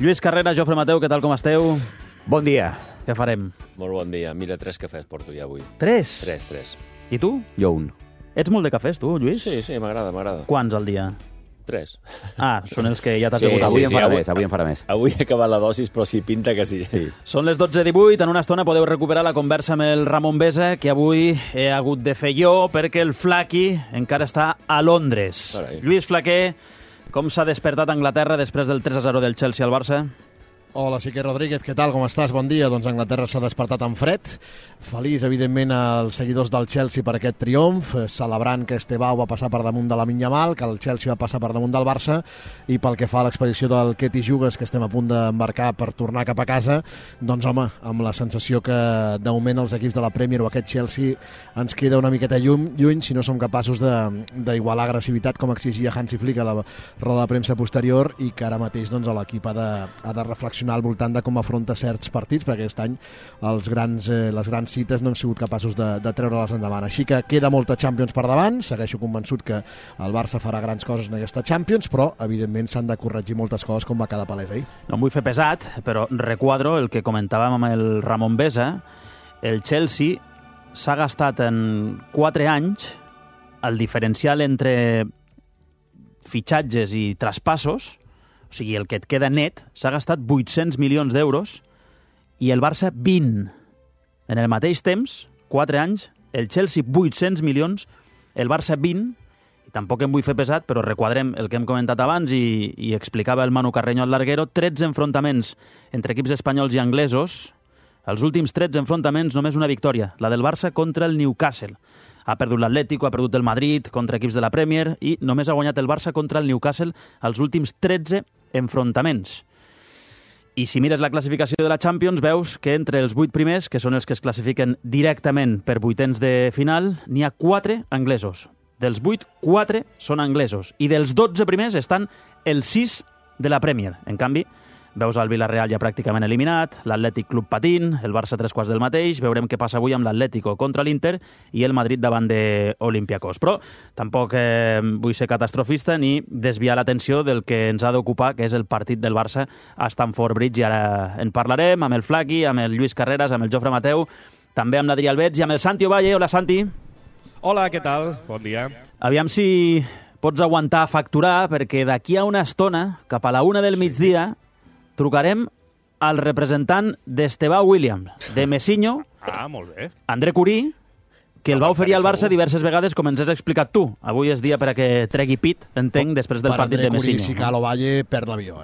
Lluís Carreras, Jofre Mateu, què tal, com esteu? Bon dia. Què farem? Molt bon dia. Mira, 3 cafès porto ja avui. 3? 3. I tu? Jo un. Ets molt de cafès, tu, Lluís? Sí, m'agrada. Quants al dia? 3. Ah, són els que ja t'has Sí, begut Avui avui. avui em farà més. Avui he acabat la dosis, però sí, pinta que sí. Són les 12:18, en una estona podeu recuperar la conversa amb el Ramon Besa, que avui he hagut de fer jo perquè el Flaqui encara està a Londres. Carai. Lluís Flaquer, com s'ha despertat Anglaterra després del 3-0 del Chelsea al Barça? Hola, Siquer Rodríguez, què tal, com estàs? Bon dia. Doncs Anglaterra s'ha despertat en fred. Feliç, evidentment, als seguidors del Chelsea per aquest triomf, celebrant que Estebao va passar per damunt de Lamine Yamal, que el Chelsea va passar per damunt del Barça, i pel que fa a l'expedició del Ketty Jugues, que estem a punt d'embarcar per tornar cap a casa, doncs, home, amb la sensació que, de moment, els equips de la Premier o aquest Chelsea ens queda una miqueta lluny si no som capaços d'igualar agressivitat com exigia Hansi Flick a la roda de premsa posterior, i que ara mateix doncs, l'equip ha de reflexionar al voltant de com afronta certs partits, perquè aquest any les grans cites no hem sigut capaços de treure-les endavant. Així que queda molta Champions per davant, segueixo convençut que el Barça farà grans coses en aquesta Champions, però evidentment s'han de corregir moltes coses, com va quedar palès ahir. No em vull fer pesat, però requadro el que comentàvem amb el Ramon Besa. El Chelsea s'ha gastat en 4 anys el diferencial entre fitxatges i traspassos, o sigui, el que et queda net, s'ha gastat 800 milions d'euros i el Barça 20. En el mateix temps, 4 anys, el Chelsea 800 milions, el Barça 20, i tampoc em vull fer pesat, però requadrem el que hem comentat abans i explicava el Manu Carreño al larguero, 13 enfrontaments entre equips espanyols i anglesos, els últims 13 enfrontaments només una victòria, la del Barça contra el Newcastle. Ha perdut l'Atlético, ha perdut el Madrid contra equips de la Premier i només ha guanyat el Barça contra el Newcastle els últims 13 enfrontaments. I si mires la classificació de la Champions, veus que entre els 8 primers, que són els que es classifiquen directament per vuitens de final, n'hi ha 4 anglesos. Dels 8, 4 són anglesos. I dels 12 primers estan els 6 de la Premier. En canvi, veus el Villarreal ja pràcticament eliminat, l'Atlètic Club patint, el Barça 3/4 del mateix, veurem què passa avui amb l'Atlético contra l'Inter i el Madrid davant de Olympiacos. Però tampoc vull ser catastrofista ni desviar l'atenció del que ens ha d'ocupar, que és el partit del Barça a Stamford Bridge, i ara en parlarem amb el Flaqui, amb el Lluís Carreras, amb el Jofre Mateu, també amb l'Adrià Albets i amb el Santi Ovalle. Hola, Santi. Hola, què tal? Bon dia. Aviam si pots aguantar a facturar, perquè d'aquí a una estona, cap a la 1 del migdia, trucarem al representant d'Estebao Williams, de Messinho, Molt bé. André Curí, que el va oferir al Barça diverses vegades, com ens has explicat tu. Avui és dia per a que tregui pit, entenc, després del partit de Messinho. Si cal Ovalle, perd l'avió,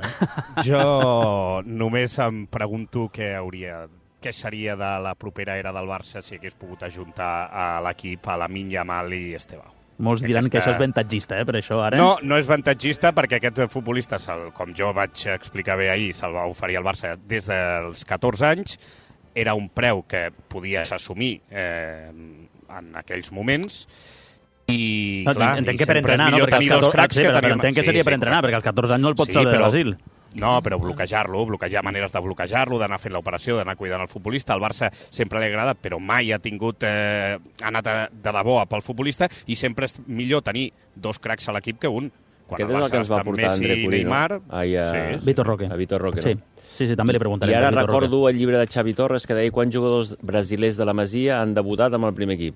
Jo només em pregunto què seria de la propera era del Barça si hagués pogut ajuntar a l'equip a Lamine Yamal i Estebao. Molts diran que això és avantatgista, per això, ara. No és avantatgista perquè aquest futbolista, com jo vaig explicar bé ahir, se'l va oferir al Barça des dels 14 anys. Era un preu que podies assumir en aquells moments. I, clar, entenc que per entrenar, no? Perquè entenc que seria per entrenar, perquè als 14 anys no el pots treure de Brasil. No, però bloquejar maneres de bloquejar-lo, d'anar fent l'operació, d'anar cuidant el futbolista. Al Barça sempre li ha agradat, però mai ha anat de debò pel futbolista, i sempre és millor tenir 2 cracs a l'equip que un. Aquest és el que ens va portar André Curí, no? Vitor Roque. A Vitor Roque, no? Sí, també li preguntarem. I ara recordo el llibre de Xavi Torres que deia quants jugadors brasilers de la Masia han debutat amb el primer equip.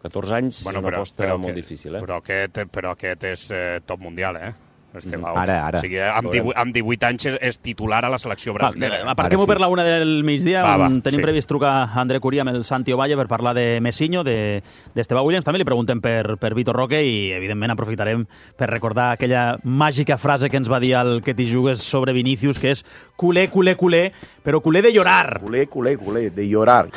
14 anys, una aposta molt difícil, eh? Però aquest és top mundial, Estebao. Ara. O sigui, amb 18 anys és titular a la selecció brasilera. Aparquem-ho per la 1 del migdia, on tenim previst trucar a André Curí amb el Santi Ovalle per parlar de Messinho, d'Estebao Williams. També li preguntem per Vitor Roque i, evidentment, aprofitarem per recordar aquella màgica frase que ens va dir el Ketty Jugues sobre Vinícius, que és culé, culé, culé, però culé de llorar. Culé, de llorar.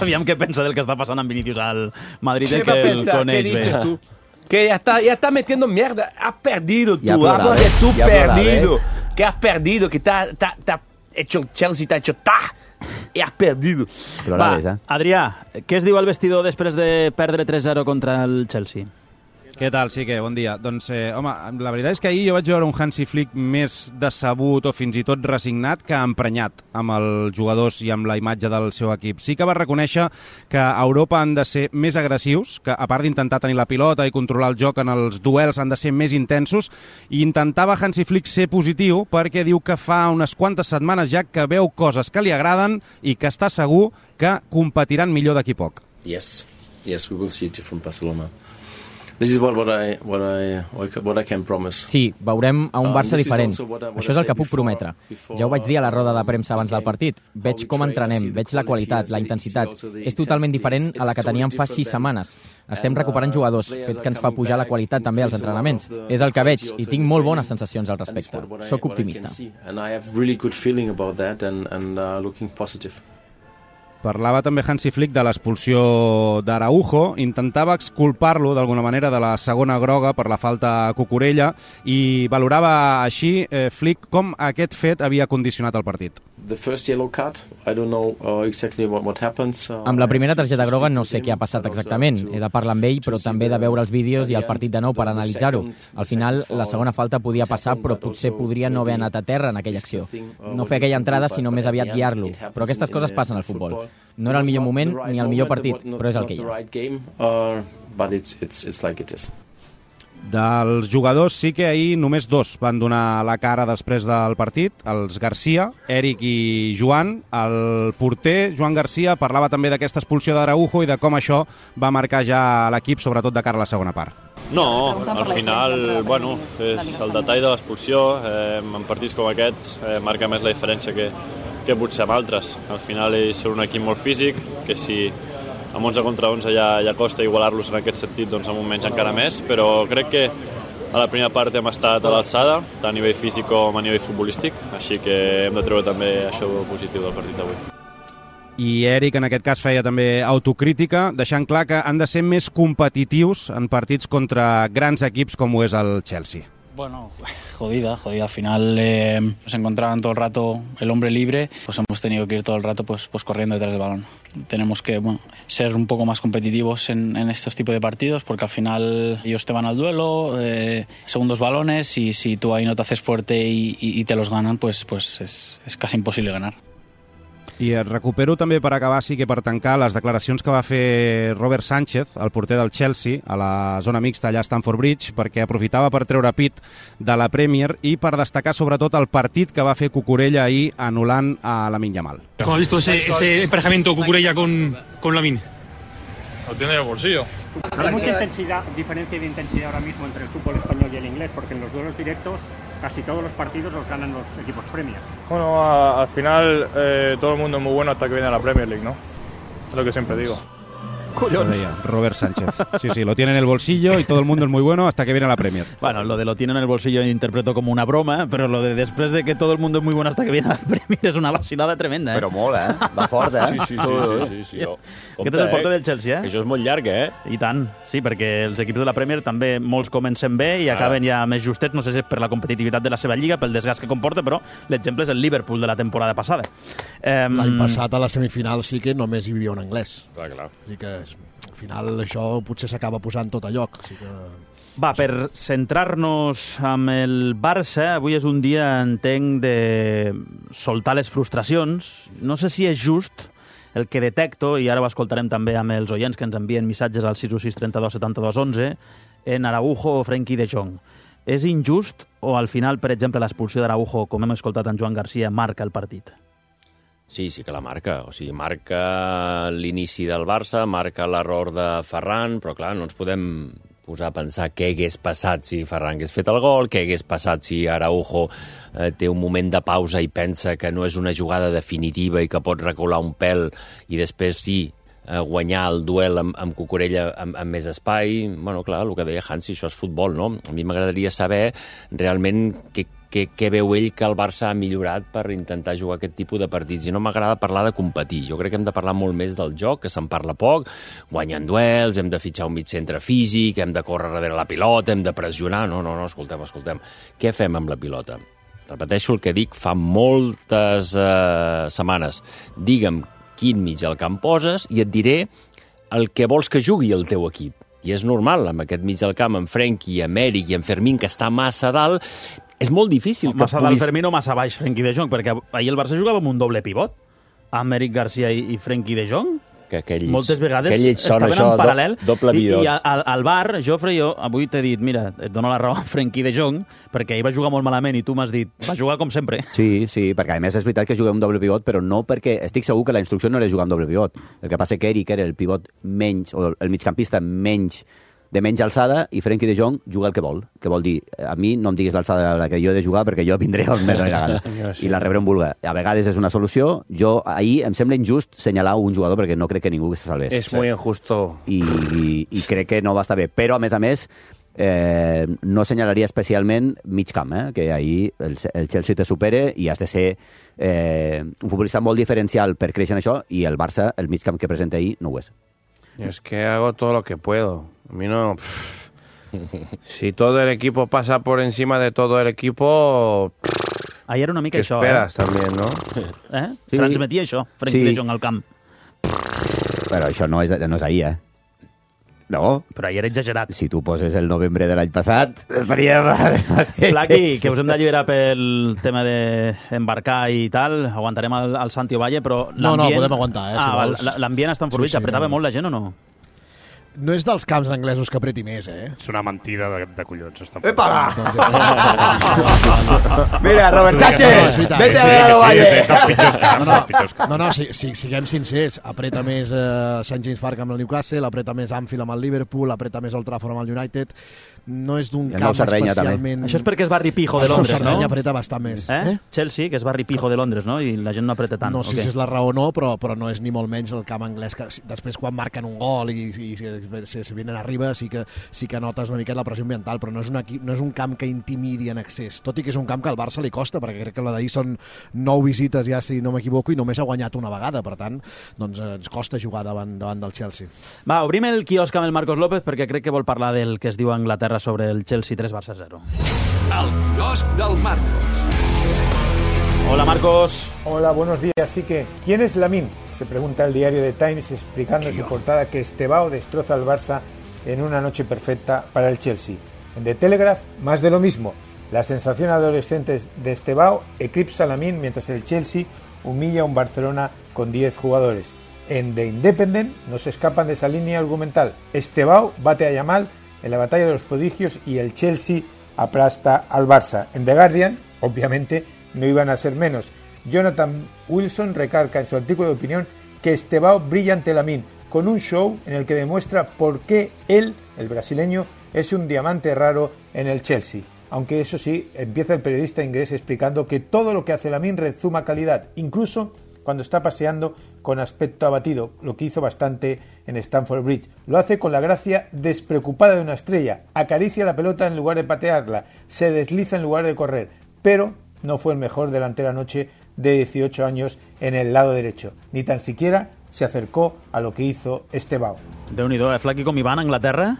Aviam què pensa del que està passant amb Vinícius al Madrid, el que el coneix bé. Que ya está metiendo mierda. Has perdido tú. Hablas de tú perdido. Que has perdido. Que está hecho el Chelsea, está hecho y has perdido. Va, Adrià, què es diu al vestidor després de perdre 3-0 contra el Chelsea? Què tal, Sique? Bon dia. Doncs, home, la veritat és que ahir jo vaig veure un Hansi Flick més decebut o fins i tot resignat que emprenyat amb els jugadors i amb la imatge del seu equip. Sí que va reconèixer que a Europa han de ser més agressius, que a part d'intentar tenir la pilota i controlar el joc en els duels han de ser més intensos, i intentava Hansi Flick ser positiu perquè diu que fa unes quantes setmanes ja que veu coses que li agraden i que està segur que competiran millor d'aquí poc. Yes, we will see it from Barcelona. This is what I can promise. Sí, veurem a un Barça diferent. Això és el que puc prometre. Ja ho vaig dir a la roda de premsa abans del partit. Veig com entrenem, veig la qualitat, la intensitat. És totalment diferent a la que teníem fa 6 setmanes. Estem recuperant jugadors, fet que ens fa pujar la qualitat també als entrenaments. És el que veig i tinc molt bones sensacions al respecte. Soc optimista. Parlava també Hansi Flick de l'expulsió d'Araujo, intentava exculpar-lo d'alguna manera de la segona groga per la falta a Cucurella i valorava així, Flick, com aquest fet havia condicionat el partit. Amb la primera targeta groga no sé què ha passat exactament. He de parlar amb ell, però també de veure els vídeos i el partit de nou per analitzar-ho. Al final, la segona falta podia passar, però potser podria no haver anat a terra en aquella acció. No fer aquella entrada, sinó més aviat guiar-lo. Però aquestes coses passen al futbol. No era el millor moment ni el millor partit, però és el que hi ha. Dels jugadors sí que ahir només 2 van donar la cara després del partit, els Garcia, Eric i Joan. El porter, Joan Garcia, parlava també d'aquesta expulsió d'Araujo i de com això va marcar ja l'equip, sobretot de cara a la segona part. No, al final, bueno, és el detall de l'expulsió. En partits com aquests marca més la diferència que potser amb altres. Al final ells són un equip molt físic, que si amb 11 contra 11 ja costa igualar-los en aquest sentit, doncs amb un menys encara més, però crec que a la primera part hem estat a l'alçada, tant a nivell físic com a nivell futbolístic, així que hem de treure també això positiu del partit d'avui. I Eric en aquest cas feia també autocrítica, deixant clar que han de ser més competitius en partits contra grans equips com ho és el Chelsea. Bueno, jodida. Al final nos encontraban todo el rato el hombre libre, pues hemos tenido que ir todo el rato pues corriendo detrás del balón. Tenemos que ser un poco más competitivos en estos tipos de partidos, porque al final ellos te van al duelo, segundos balones, y si tú ahí no te haces fuerte y te los ganan, pues es casi imposible ganar. I recupero també per acabar, sí que per tancar, les declaracions que va fer Robert Sánchez, el porter del Chelsea, a la zona mixta allà a Stamford Bridge, perquè aprofitava per treure pit de la Premier i per destacar sobretot el partit que va fer Cucurella ahí anul·lant a Lamine Yamal. ¿Cómo has visto ese emparejamiento Cucurella con Lamine? Lo tiene en el bolsillo. Hay mucha diferencia de intensidad ahora mismo entre el fútbol español y el inglés, porque en los duelos directos casi todos los partidos los ganan los equipos Premier. Bueno, al final todo el mundo es muy bueno hasta que viene a la Premier League, ¿no? Es lo que siempre digo. Collons. Robert Sánchez. Sí, lo tiene en el bolsillo y todo el mundo es muy bueno hasta que viene a la Premier. Bueno, lo de lo tiene en el bolsillo interpreto como una broma, pero lo de después de que todo el mundo es muy bueno hasta que viene a la Premier es una vacilada tremenda, Però molt, Va fort, Sí. Aquest és el porter del Chelsea, Això és molt llarg, I tant, sí, perquè els equips de la Premier també molts comencen bé i acaben ja més justets, no sé si és per la competitivitat de la seva lliga, pel desgast que comporta, però l'exemple és el Liverpool de la temporada passada. L'any passat a la semifinal sí que només hi havia un anglès. Clar. Així que al final això potser s'acaba posant tot a lloc. Així que... Va, per centrar-nos amb el Barça, avui és un dia, entenc, de soltar les frustracions. No sé si és just el que detecto, i ara ho escoltarem també amb els oients que ens envien missatges al 616 32 72 11, en Araujo o Frenkie de Jong. És injust o al final, per exemple, l'expulsió d'Araujo, com hem escoltat en Joan Garcia, marca el partit? Sí que la marca. O sigui, marca l'inici del Barça, marca l'error de Ferran, però clar, no ens podem posar a pensar què hagués passat si Ferran hagués fet el gol, què hagués passat si Araujo té un moment de pausa i pensa que no és una jugada definitiva i que pot recular un pèl i després guanyar el duel amb Cucurella amb més espai. Bueno, clar, el que deia Hansi, això és futbol, no? A mi m'agradaria saber realment què veu ell que el Barça ha millorat per intentar jugar aquest tipus de partits. I no m'agrada parlar de competir. Jo crec que hem de parlar molt més del joc, que se'n parla poc, guanyant duels, hem de fitxar un mitjcentre físic, hem de córrer darrere la pilota, hem de pressionar... No, escoltem. Què fem amb la pilota? Repeteixo el que dic fa moltes setmanes. Digue'm quin mig al camp poses i et diré el que vols que jugui el teu equip. I és normal, amb aquest mig del camp, amb Frenkie, amb Eric i amb Fermín, que està massa dalt, és molt difícil que massa dalt Fermín o massa baix Frenkie de Jong, perquè ahir el Barça jugava amb un doble pivot, amb Eric Garcia i Frenkie de Jong. Moltes vegades estaven en paral·lel i al bar, Jofre, jo avui t'he dit, mira, et dono la raó a Frenkie de Jong, perquè ell va jugar molt malament i tu m'has dit, va jugar com sempre. Sí, perquè a més és veritat que juguem un doble pivot, però no perquè estic segur que la instrucció no era jugar amb doble pivot. El que passa que Eric era el pivot menys, o el migcampista de menys alçada, i Frenkie de Jong juga el que vol. Que vol dir, a mi no em diguis l'alçada a la que jo he de jugar perquè jo vindré on me doni la gana. I la rebré on vulga. A vegades és una solució. Jo ahir em sembla injust senyalar un jugador perquè no crec que ningú se salvés. És molt injusto. I crec que no va estar bé. Però, a més, no senyalaria especialment mig camp, que ahir el Chelsea te supere i has de ser un futbolista molt diferencial per créixer en això, i el Barça, el mig camp que presenta ahir, no ho és. Es que hago todo lo que puedo. A mí no... Si todo el equipo pasa por encima de todo el equipo... Ahir era una mica això, esperas también, ¿no? Sí. Transmetia això, Frenkie de Jong al camp. Però això no és ahir, No. Però ahir era exagerat. Si tu poses el novembre de l'any passat, estaríem... Flaqui, que us hem d'alliberar pel tema d'embarcar i tal, aguantarem el Santi Ovalle, però l'ambient... No, podem aguantar, si vols. L'ambient està enformit, apretava molt la gent o no? No és dels camps anglesos que apreti més, És una mentida de collons. Epa! Mira, Robert Sánchez, vete a ver a l'Ovalle. No, siguem sincers. Apreta més St. James Park amb el Newcastle, apreta més Anfield amb el Liverpool, apreta més Old Trafford amb el United. No és d'un camp especialment... Això és perquè és barri pijo de Londres, no? Sardenya apreta bastant més. Chelsea, que és barri pijo de Londres, no? I la gent no apreta tant. No sé si és la raó o no, però no és ni molt menys el camp anglès, que després quan marquen un gol i se vienen arriba sí que notes una miqueta la pressió ambiental, però no és un camp que intimidi en excés, tot i que és un camp que al Barça li costa, perquè crec que la d'ahir són 9 visites ja, si no m'equivoco, i només ha guanyat una vegada, per tant, doncs ens costa jugar davant del Chelsea. Va, obrim el quiosc amb el Marcos López, perquè crec que vol parlar del que es diu a Anglaterra sobre el Chelsea 3, Barça 0. El quiosc del Marcos. Hola, Marcos. Hola, buenos días. Así que, ¿quién es Lamine? Se pregunta el diario The Times explicando en su portada que Estevao destroza al Barça en una noche perfecta para el Chelsea. En The Telegraph, más de lo mismo. La sensación adolescente de Estevao eclipsa a Lamine mientras el Chelsea humilla a un Barcelona con 10 jugadores. En The Independent no se escapan de esa línea argumental. Estevao bate a Yamal en la batalla de los prodigios y el Chelsea aplasta al Barça. En The Guardian, obviamente, no iban a ser menos. Jonathan Wilson recalca en su artículo de opinión que Estevao brilla ante Lamine con un show en el que demuestra por qué él, el brasileño, es un diamante raro en el Chelsea. Aunque eso sí, empieza el periodista inglés explicando que todo lo que hace Lamine rezuma calidad, incluso cuando está paseando con aspecto abatido, lo que hizo bastante en Stamford Bridge. Lo hace con la gracia despreocupada de una estrella, acaricia la pelota en lugar de patearla, se desliza en lugar de correr, pero no fue el mejor delantero anoche de 18 años en el lado derecho, ni tan siquiera se acercó a lo que hizo Estevao. Déu-n'hi-do, Flaqui, com hi van a Anglaterra?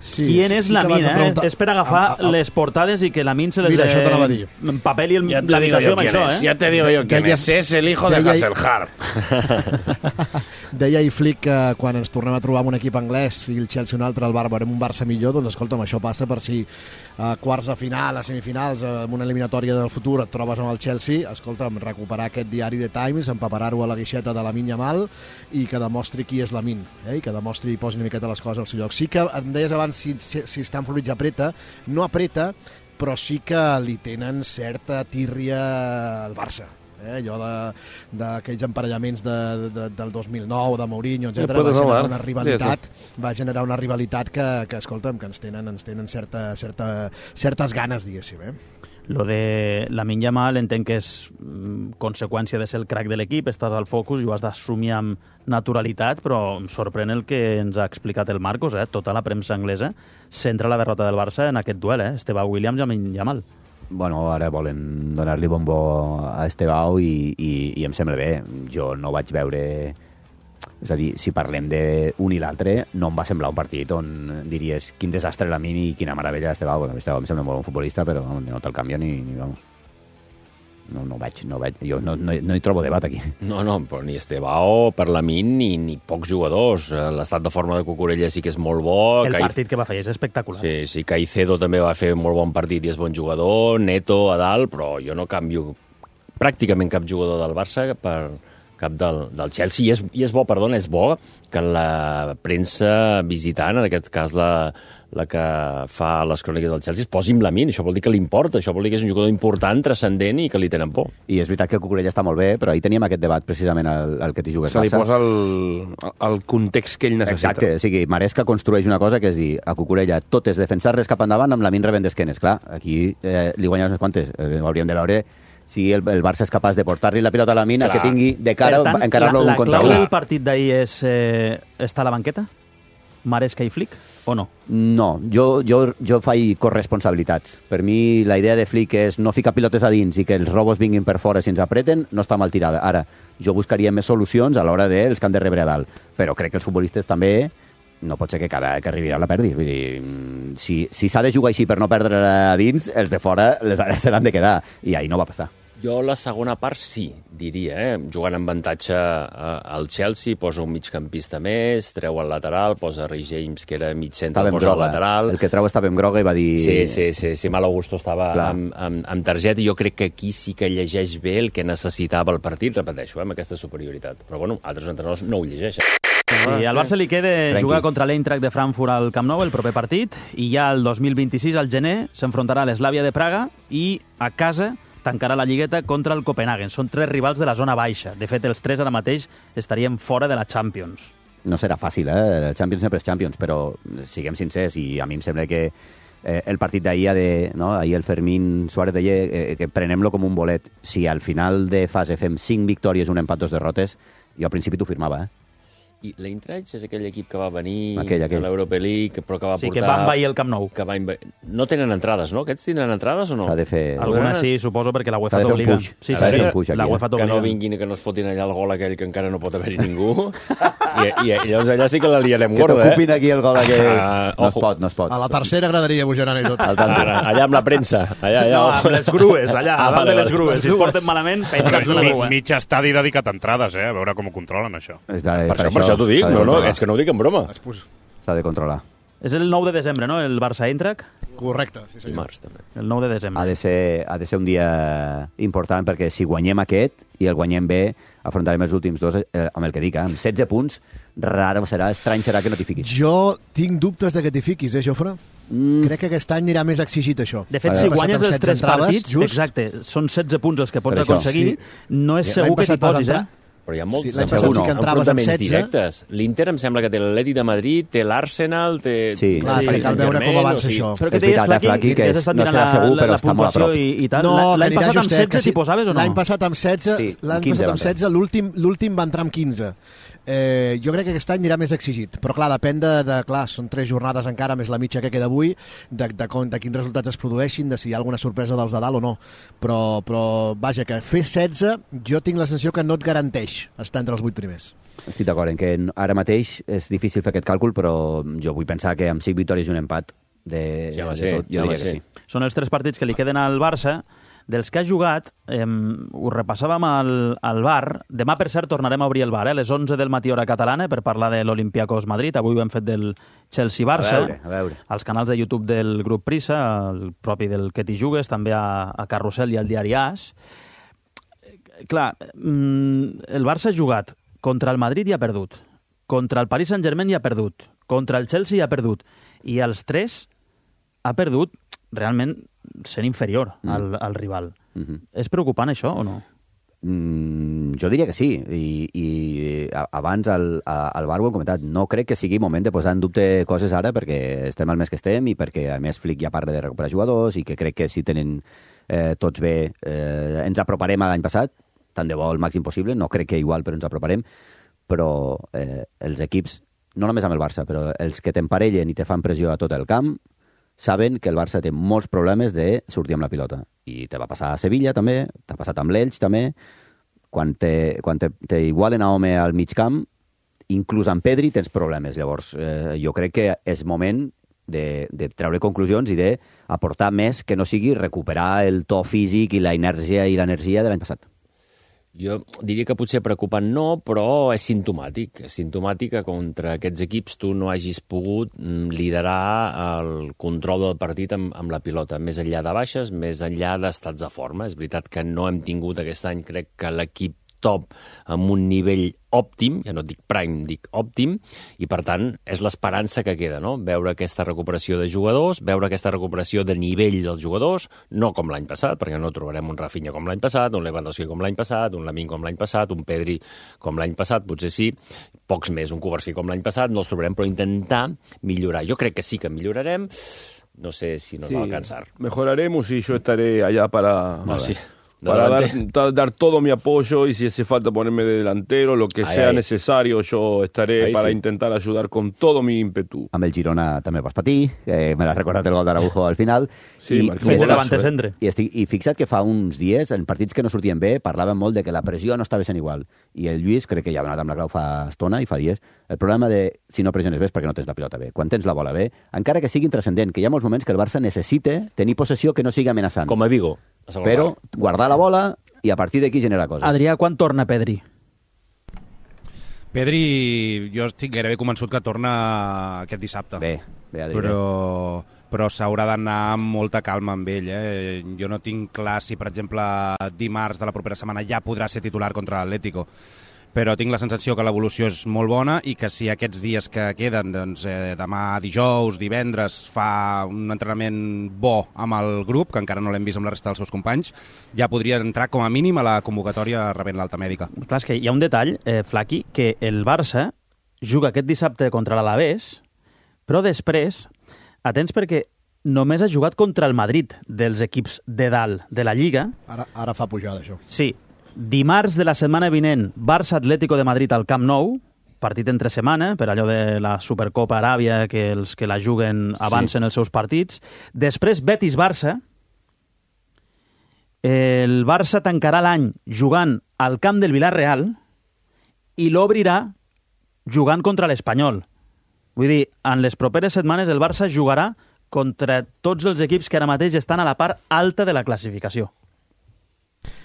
Sí, Qui és Lamine, És per agafar les portades i que Lamine se les empapeli l'habitació amb això, Ya te digo yo quién es. Es el hijo de Hasselhard. Deia i Flick que quan ens tornem a trobar amb un equip anglès i el Chelsea un altre, el veurem un Barça millor, doncs escolta'm, això passa per si a quarts de final, a semifinals, en una eliminatòria del futur et trobes amb el Chelsea, escolta'm, recuperar aquest diari The Times, empaparar-ho a la guixeta de Lamine Yamal i que demostri qui és Lamine, i que demostri i posi una miqueta les coses al seu lloc. Sí que em deies abans si Stamford Bridge apreta, no apreta, però sí que li tenen certa tírria al Barça. Allò d'aquells emparellaments del 2009, de Mourinho, etc. Va generar una rivalitat que escolta'm, que ens tenen certes ganes, diguéssim. Lo de Lamine Yamal entenc que és conseqüència de ser el crack de l'equip, estàs al focus i ho has d'assumir amb naturalitat, però em sorprèn el que ens ha explicat el Marcos, tota la premsa anglesa centra la derrota del Barça en aquest duel, Estevao Williams i Lamine Yamal. Bueno, ara volen donar-li bombo a Estevao i em sembla bé. Jo no vaig veure... És a dir, si parlem d'un i l'altre, no em va semblar un partit on diries quin desastre Lamine i quina meravella Estevao. Estevao em sembla molt bon futbolista, però no te'l canvia ni vamos. no veig. Jo no hi trobo debat aquí. No, però ni Estebao, per la Min, ni pocs jugadors. L'estat de forma de Cucurella sí que és molt bo. El partit que va fer és espectacular. Sí, Caicedo també va fer molt bon partit i és bon jugador, Neto a dalt, però jo no canvio pràcticament cap jugador del Barça per cap del Chelsea. I és bo que la premsa visitant, en aquest cas la que fa les cròniques del Chelsea, es posi amb la Min. Això vol dir que li importa, això vol dir que és un jugador important, transcendent i que li tenen por. I és veritat que Cucurella està molt bé, però ahir teníem aquest debat precisament al que t'hi jugues. Se li posa el context que ell necessita. Exacte, o sigui, Maresca construeix una cosa que és dir, a Cucurella tot és defensar-les cap endavant amb la Min rebent d'esquenes. Clar, aquí li guanyes unes quantes. Hauríem de veure si el Barça és capaç de portar-li la pilota a la Min, que tingui de cara a encarar-lo un contra un. La clau del partit d'ahir és estar a la banqueta? Maresca i Flick, o no? No, jo faig corresponsabilitats. Per mi la idea de Flick és no ficar pilotes a dins i que els robos vinguin per fora si ens apreten, no està mal tirada. Ara, jo buscaria més solucions a l'hora dels que han de rebre a dalt. Però crec que els futbolistes també no pot ser que cada que arribi la perdis. Vull dir, si s'ha de jugar així per no perdre a dins, els de fora se l'han de quedar. I ahir no va passar. Jo la segona part sí, diria, jugant amb avantatge al Chelsea, posa un migcampista més, treu el lateral, posa Rhys James, que era mig centre, posa el lateral. El que treu estava amb groga i va dir... Sí, Mal Augusto estava amb targeta, i jo crec que aquí sí que llegeix bé el que necessitava el partit, repeteixo, amb aquesta superioritat. Però bueno, altres entrenadors no ho llegeixen. Sí, al Barça li queda jugar contra l'Eintracht de Frankfurt al Camp Nou el proper partit, i ja el 2026, al gener, s'enfrontarà a l'Slavia de Praga i a casa tancarà la lligueta contra el Copenhagen. Són 3 rivals de la zona baixa. De fet, els 3 ara mateix estarien fora de la Champions. No serà fàcil, eh? Champions sempre és Champions, però siguem sincers, i a mi em sembla que el partit d'ahir, ahir el Fermín Suárez deia que prenem-lo com un bolet. Si al final de fase fem 5 victòries, un empat, 2 derrotes, jo al principi t'ho firmava, I l'Eintracht és aquell equip que va venir aquell. a l'Europa League, però que va portar... Sí, que va envair el Camp Nou. No tenen entrades, no? Aquests tindran entrades o no? S'ha de fer... Alguna sí, suposo, perquè la UEFA t'obliga. Sí, la UEFA t'obliga. Que no vinguin i que no es fotin allà el gol aquell que encara no pot haver-hi ningú. I llavors allà sí que la liarem gorda, Que t'ocupin aquí el gol aquell. No es pot. A la tercera agradaria Bujaran i tot. Allà amb la premsa. No, amb les grues, allà, a dalt de les grues. Si es porten malament, penjats una grua. Mig estadi dedicat a entrades, a veure com ho controlen, això. Per això t'ho dic, és que no ho dic en broma. S'ha de controlar. És el 9 de desembre, no?, el Barça-Eintracht? Correcte, sí senyor. Dimarts, també. El 9 de desembre. Ha de ser un dia important, perquè si guanyem aquest i el guanyem bé, afrontarem els últims 2 amb el que dic, amb 16 punts, estrany serà que no t'hi fiquis. Jo tinc dubtes de que t'hi fiquis, Jofre? Crec que aquest any anirà més exigit, això. De fet, si guanyes els 3 partits, exacte, són 16 punts els que pots aconseguir, no és segur que t'hi posis, Però hi ha molts enfrontaments directes. L'Inter em sembla que té l'Atlètic de Madrid, té l'Arsenal, té... Sí, cal veure com avança això. Però que deies, Flaqui, que no serà segur, però està molt a prop. L'any passat amb 16 t'hi posaves o no? L'any passat amb 16, l'últim va entrar amb 15. Jo crec que aquest any anirà més exigit, però clar, depèn clar, són 3 jornades encara, més la mitja que queda avui, de quins resultats es produeixin, de si hi ha alguna sorpresa dels de dalt o no, però vaja, que fer 16 jo tinc la sensació que no et garanteix estar entre els 8 primers. Estic d'acord en que ara mateix és difícil fer aquest càlcul, però jo vull pensar que amb 5 victòries i un empat de tot, jo diria que sí. Són els 3 partits que li queden al Barça. Dels que ha jugat, ho repassàvem al bar. Demà, per cert, tornarem a obrir el bar, a les 11 del matí hora catalana, per parlar de l'Olympiacos Madrid. Avui ho hem fet del Chelsea-Barça. A veure. Als canals de YouTube del grup Prisa, el propi del Que t'hi jugues, també a Carrusel i al diari AS. Clar, el Barça ha jugat contra el Madrid i ha perdut. Contra el Paris Saint-Germain i ha perdut. Contra el Chelsea i ha perdut. I els 3 ha perdut realment sent inferior al rival. És preocupant això o no? Jo diria que sí, i abans al bar ho hem comentat, no crec que sigui moment de posar en dubte coses ara, perquè estem al mes que estem i perquè a més Flick ja parla de recuperar jugadors i que crec que si tenen tots bé ens aproparem a l'any passat, tant de bo el màxim possible, no crec que igual, però ens aproparem, però els equips, no només amb el Barça, però els que t'emparellen i te fan pressió a tot el camp, saben que el Barça té molts problemes de sortir amb la pilota. I te va passar a Sevilla, també, t'ha passat amb l'Elx, també. Quan t'igualen a home al mig camp, inclús amb Pedri tens problemes. Llavors, jo crec que és moment de treure conclusions i aportar més que no sigui recuperar el to físic i la inèrcia i l'energia de l'any passat. Jo diria que potser preocupant no, però és simptomàtic. És simptomàtic que contra aquests equips tu no hagis pogut liderar el control del partit amb la pilota, més enllà de baixes, més enllà d'estats de forma. És veritat que no hem tingut aquest any, crec que l'equip top amb un nivell òptim, ja no dic prime, dic òptim, i per tant és l'esperança que queda, no? Veure aquesta recuperació de jugadors, veure aquesta recuperació de nivell dels jugadors, no com l'any passat, perquè no trobarem un Rafinha com l'any passat, un Lewandowski com l'any passat, un Lamine com l'any passat, un Pedri com l'any passat, potser sí, pocs més, un Cubarsí com l'any passat, no els trobarem, però intentar millorar. Jo crec que sí que millorarem, no sé si nos va a alcanzar. Mejoraremos y yo estaré allá para... No, sí. Para dar todo mi apoyo y si hace falta ponerme de delantero, lo que sea necesario, yo estaré para intentar ayudar con todo mi ímpetu. Amb el Girona també vas patir, me l'has recordat el gol d'Araujo al final. Sí, I fixa't que fa uns dies, en partits que no sortien bé, parlaven molt de que la pressió no estava sent igual. I el Lluís, crec que ja ha donat amb la clau fa estona i fa dies, el problema de si no pressiones bé és perquè no tens la pilota bé. Quan tens la bola bé, encara que sigui intrascendent, que hi ha molts moments que el Barça necessita tenir possessió que no sigui amenaçant. Com a Vigo. Però guardar la bola i a partir d'aquí generar coses. Adrià, quan torna Pedri? Pedri, jo estic gairebé convençut que torna aquest dissabte. Bé, Adrià. Però s'haurà d'anar amb molta calma amb ell. Jo no tinc clar si, per exemple, dimarts de la propera setmana ja podrà ser titular contra l'Atlético. Però tinc la sensació que l'evolució és molt bona i que si aquests dies que queden, doncs, demà dijous, divendres, fa un entrenament bo amb el grup, que encara no l'hem vist amb la resta dels seus companys, ja podria entrar com a mínim a la convocatòria rebent l'alta mèdica. Clar, és que hi ha un detall, Flaqui, que el Barça juga aquest dissabte contra l'Alavés, però després, atents perquè només ha jugat contra el Madrid dels equips de dalt de la Lliga. Ara fa pujada, això. Sí. Dimarts de la setmana vinent, Barça-Atlético de Madrid al Camp Nou, partit entre setmana, per allò de la Supercopa Aràbia, que els que la juguen avancen els seus partits. Després, Betis-Barça. El Barça tancarà l'any jugant al camp del Villarreal i l'obrirà jugant contra l'Espanyol. Vull dir, en les properes setmanes el Barça jugarà contra tots els equips que ara mateix estan a la part alta de la classificació.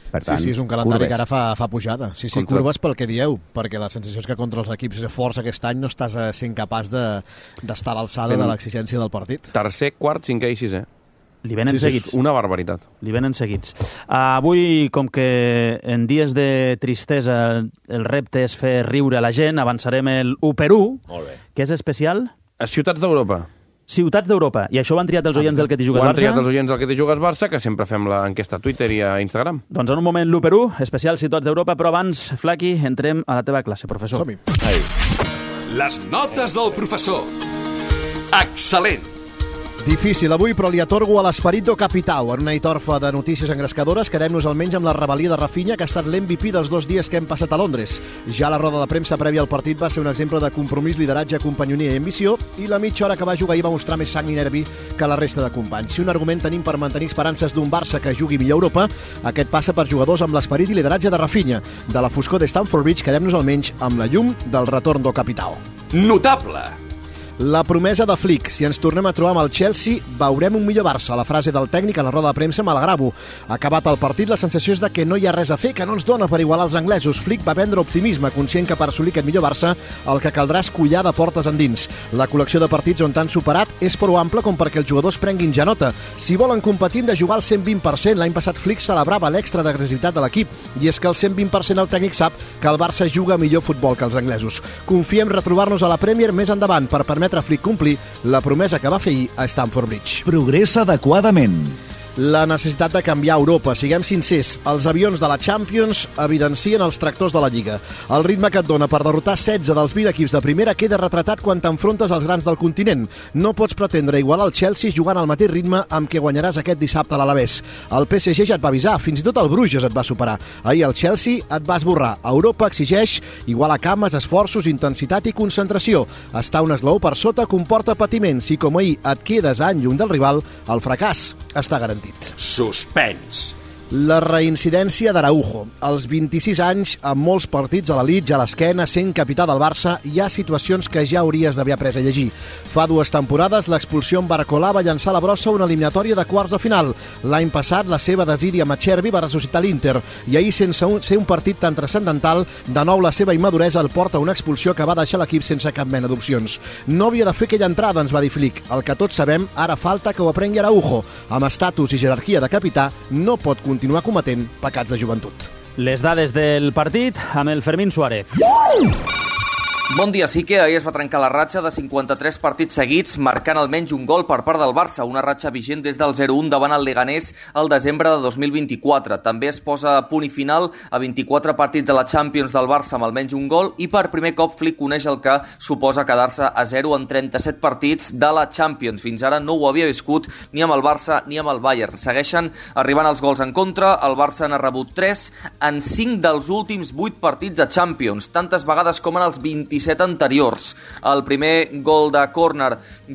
Per tant, sí, és un calendari que ara fa pujada. Sí, curves pel que dieu, perquè la sensació és que contra els equips forts aquest any no estàs sent capaç d'estar a l'alçada de l'exigència del partit. Tercer, quart, cinquè i sisè. Li venen seguits. Una barbaritat. Li venen seguits. Avui, com que en dies de tristesa el repte és fer riure a la gent, avançarem el 1x1, que és especial. A Ciutats d'Europa. Ciutats d'Europa. I això ho han triat els oients del Que t'hi jugues Barça? Ho han triat els oients del Que t'hi jugues Barça, que sempre fem l'enquesta a Twitter i a Instagram. Doncs en un moment l'1x1, especial Ciutats d'Europa, però abans, Flaqui, entrem a la teva classe, professor. Som-hi. Les notes del professor. Excel·lent. Difícil avui, però li atorgo a l'Esperito Capitao. En una nit orfa de notícies engrescadores, quedem-nos almenys amb la rebel·lia de Rafinha, que ha estat l'MVP dels 2 dies que hem passat a Londres. Ja la roda de premsa prèvia al partit va ser un exemple de compromís, lideratge, companyonia i ambició, i la mitja hora que va jugar ahir va mostrar més sang i nervi que la resta de companys. Si un argument tenim per mantenir esperances d'un Barça que jugui millor a Europa, aquest passa per jugadors amb l'esperit i lideratge de Rafinha. De la foscor de Stamford Bridge quedem-nos almenys amb la llum del retorn do Capitao. Notable. La promesa de Flick. Si ens tornem a trobar amb el Chelsea, veurem un millor Barça. La frase del tècnic a la roda de premsa me la gravo. Acabat el partit, la sensació és de que no hi ha res a fer, que no ens dona per igualar els anglesos. Flick va vendre optimisme, conscient que per assolir aquest millor Barça el que caldrà és collar de portes endins. La col·lecció de partits on t'han superat és prou ampla com perquè els jugadors prenguin ja nota. Si volen competir de jugar al 120%, l'any passat Flick celebrava l'extra d'agressivitat de l'equip, i és que el 120% el tècnic sap que el Barça juga millor futbol que els anglesos. Confiem retrobar-nos a la Premier més endavant per permetre a Flick complir la promesa que va fer ahir a Stamford Bridge. Progressa adequadament. La necessitat de canviar Europa. Siguem sincers, els avions de la Champions evidencien els tractors de la Lliga. El ritme que et dona per derrotar 16 dels 20 equips de primera queda retratat quan t'enfrontes als grans del continent. No pots pretendre igualar el Chelsea jugant al mateix ritme amb què guanyaràs aquest dissabte a l'Alavés. El PSG ja et va avisar, fins i tot el Bruges et va superar. Ahir el Chelsea et va esborrar. Europa exigeix igualar cames, esforços, intensitat i concentració. Estar un esglaó per sota comporta patiment. Si com ahir et quedes any lluny del rival, el fracàs està garantit. Suspens. La reincidència d'Araujo. Als 26 anys, amb molts partits a l'elit, ja a l'esquena, sent capità del Barça, hi ha situacions que ja hauries d'haver après a llegir. Fa 2 temporades, l'expulsió en Barcolà va llançar a la brossa una eliminatòria de quarts de final. L'any passat, la seva desídia amb Acerbi va ressuscitar l'Inter, i ahir, sense ser un partit tan transcendental, de nou la seva immaduresa el porta a una expulsió que va deixar l'equip sense cap mena d'opcions. No havia de fer aquella entrada, ens va dir Flick. El que tots sabem, ara falta que ho aprengui Araujo. Amb estatus i jerarquia de capità, no pot continuar cometent pecats de joventut. Les dades del partit amb el Fermín Suárez. Bon dia, sí que ahir es va trencar la ratxa de 53 partits seguits, marcant almenys un gol per part del Barça, una ratxa vigent des del 0-1 davant el Leganés al desembre de 2024. També es posa punt i final a 24 partits de la Champions del Barça amb almenys un gol i per primer cop Flick coneix el que suposa quedar-se a 0 en 37 partits de la Champions. Fins ara no ho havia viscut ni amb el Barça ni amb el Bayern. Segueixen arribant els gols en contra, el Barça n'ha rebut 3 en 5 dels últims 8 partits de Champions, tantes vegades com en els 27 anteriors. El primer gol de córner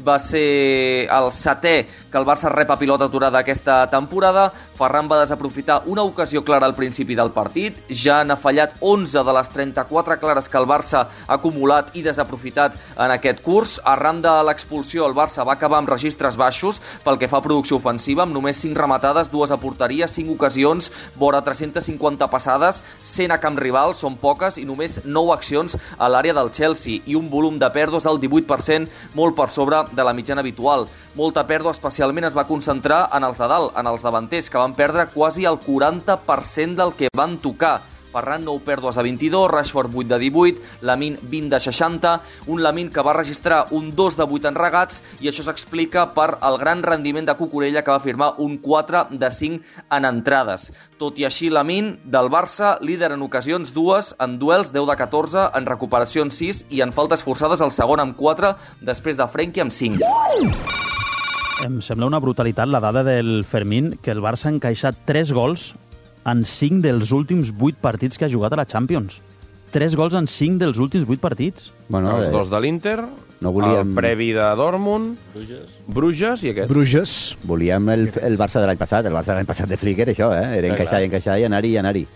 va ser el 7è que el Barça rep a pilota aturada aquesta temporada. Ferran va desaprofitar una ocasió clara al principi del partit. Ja n'ha fallat 11 de les 34 clares que el Barça ha acumulat i desaprofitat en aquest curs. Arran de l'expulsió, el Barça va acabar amb registres baixos pel que fa a producció ofensiva, amb només 5 rematades, 2 a porteria, 5 ocasions, vora 350 passades, 100 a camp rival, són poques, i només 9 accions a l'àrea del Chelsea, i un volum de pèrdues del 18%, molt per sobre de la mitjana habitual. Molta pèrdua especialment es va concentrar en els de dalt, en els davanters, que van perdre quasi el 40% del que van tocar. Ferran 9 pèrdues de 22, Rashford 8 de 18, Lamine 20 de 60, un Lamine que va registrar un 2 de 8 en regats, i això s'explica per el gran rendiment de Cucurella, que va firmar un 4 de 5 en entrades. Tot i així, Lamine, del Barça, líder en ocasions 2, en duels 10 de 14, en recuperacions 6 i en faltes forçades el segon amb 4, després de Frenkie amb 5. Em sembla una brutalitat la dada del Fermín, que el Barça ha encaixat 3 gols en 5 dels últims 8 partits que ha jugat a la Champions. 3 gols en 5 dels últims 8 partits. Bueno, els 2 de l'Inter, el previ de Dortmund, Bruges i aquest. Bruges. Volíem el Barça de l'any passat. El Barça de l'any passat de Flick era això, Era encaixar i anar-hi.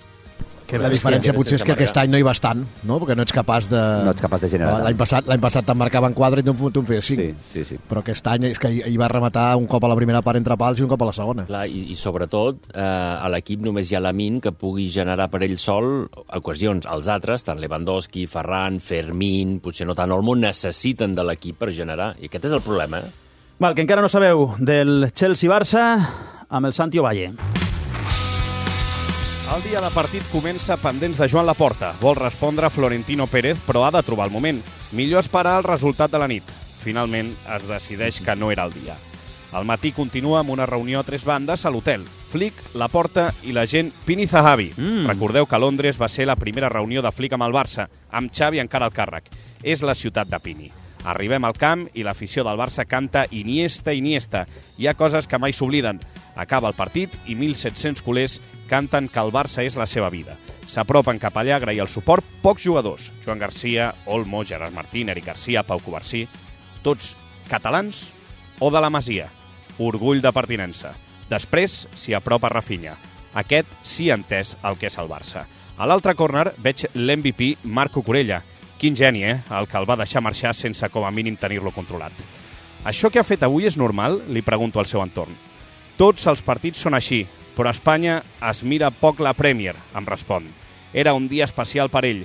La diferència potser és que aquest any no hi vas tant, no? Perquè no ets capaç de generar. L'any passat te'n marcaven 4 i tu en feies 5. Sí. Però aquest any és que hi va rematar un cop a la primera part entre pals i un cop a la segona. Clar, i sobretot a l'equip només hi ha Lamine que pugui generar per ell sol ocasions. Els altres, tant Lewandowski, Ferran, Fermín, potser no tant Olmo, necessiten de l'equip per generar. I aquest és el problema, Val, que encara no sabeu del Chelsea-Barça amb el Santi Ovalle. El dia de partit comença pendents de Joan Laporta. Vol respondre Florentino Pérez, però ha de trobar el moment. Millor esperar el resultat de la nit. Finalment, es decideix que no era el dia. Al matí continua amb una reunió a 3 bandes a l'hotel. Flick, Laporta i l'agent Pini Zahavi. Recordeu que Londres va ser la primera reunió de Flick amb el Barça, amb Xavi encara al càrrec. És la ciutat de Pini. Arribem al camp i l'afició del Barça canta Iniesta, Iniesta. Hi ha coses que mai s'obliden. Acaba el partit i 1.700 culers canten que el Barça és la seva vida. S'apropen cap allà a agrair el suport pocs jugadors. Joan Garcia, Olmo, Gerard Martín, Eric Garcia, Pau Covarsí. Tots catalans o de la Masia. Orgull de pertinença. Després s'hi apropa Rafinha. Aquest sí ha entès el que és el Barça. A l'altre córner veig l'MVP Marc Cucurella. Quin geni, el que el va deixar marxar sense com a mínim tenir-lo controlat. Això que ha fet avui és normal? Li pregunto al seu entorn. Tots els partits són així, però a Espanya es mira poc la Premier, em respon. Era un dia especial per ell.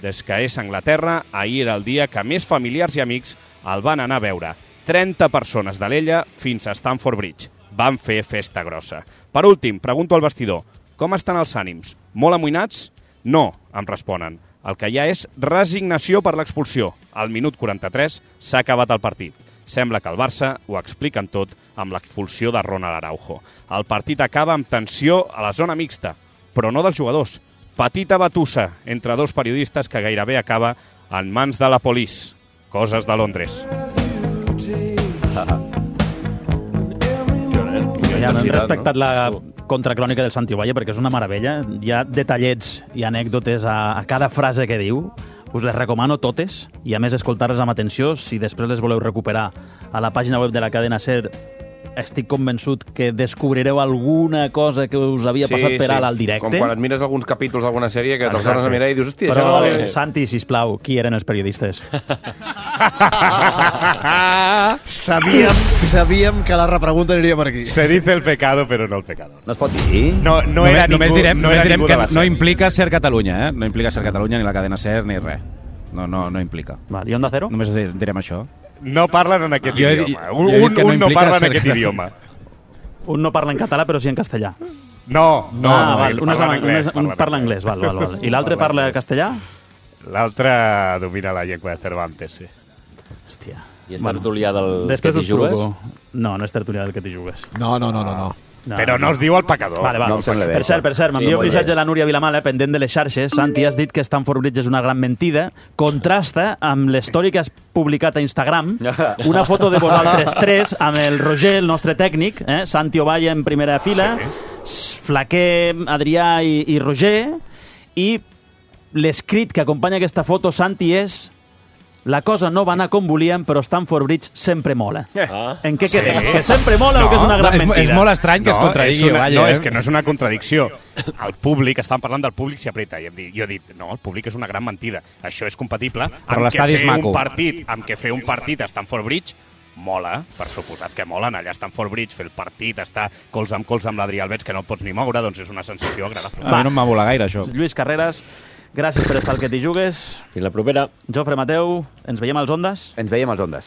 Des que és a Anglaterra, ahir era el dia que més familiars i amics el van anar a veure. 30 persones de l'Ella fins a Stamford Bridge. Van fer festa grossa. Per últim, pregunto al vestidor, com estan els ànims? Molt amoïnats? No, em responen. El que hi ha és resignació per l'expulsió. Al minut 43 s'ha acabat el partit. Sembla que el Barça ho expliquen tot amb l'expulsió de Ronald Araujo. El partit acaba amb tensió a la zona mixta, però no dels jugadors. Petita batussa entre 2 periodistes que gairebé acaba en mans de la police. Coses de Londres. Ja no hem respectat la contracrònica del Santi Ovalle perquè és una meravella. Hi ha detallets i anècdotes a cada frase que diu. Us les recomano totes i a més escoltar-les amb atenció si després les voleu recuperar a la pàgina web de la cadena SER estic convençut que descobrireu alguna cosa que us havia passat per alt al directe. Com quan et mires alguns capítols d'alguna sèrie que te'ls tornes a mirar i dius, hòstia, però, això no... Santi, sisplau, qui eren els periodistes? Sabíem que la repregunta aniria per aquí. Se dice el pecado, però no el pecador. No es pot dir? No era ningú, només direm ningú que no implica Ser Catalunya, No implica Ser Catalunya, ni la cadena Ser, ni res. No implica. Val, I Onda Cero? Només direm això. No parlen en aquest idioma. Un no parla en aquest idioma. Un no parla en català, però sí en castellà. No, val. Un parla anglès, val. I l'altre parla castellà? L'altre domina la llengua de Cervantes, sí. Hòstia. I és tertulià del que t'hi jugues? No és tertulià del que t'hi jugues. No. Però no es diu el pecador. Vale. No em sembla bé. Per cert, m'envia un missatge de la Núria Vilamala, pendent de les xarxes. Santi, has dit que Stamford Bridge és una gran mentida. Contrasta amb l'story que has publicat a Instagram, una foto de vosaltres tres, amb el Roger, el nostre tècnic, Santi Ovalle en primera fila, Flaquer, Adrià i Roger, i l'escrit que acompanya aquesta foto, Santi, és: la cosa no va anar com volíem, però Stamford Bridge sempre mola. En què quedem? Que sempre mola o que és una gran mentida? És molt estrany que es contradigui. No, és que no és una contradicció. El públic, estàvem parlant del públic, s'hi apreta. Jo he dit, no, el públic és una gran mentida. Això és compatible amb que fer un partit a Stamford Bridge mola, per suposat que mola anar allà a Stamford Bridge, fer el partit, estar colze amb l'Adrià Alberts, que no et pots ni moure, doncs és una sensació agradable. A mi no em va volar gaire, això. Lluís Carreras, gràcies per estar al que t'hi jugues. Fins la propera. Jofre Mateu, ens veiem als Ondes? Ens veiem als Ondes.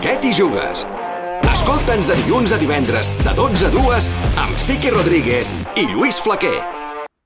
Què t'hi jugues? Escolta'ns de dilluns a divendres, de 12 a 2, amb Sique Rodríguez i Lluís Flaquer.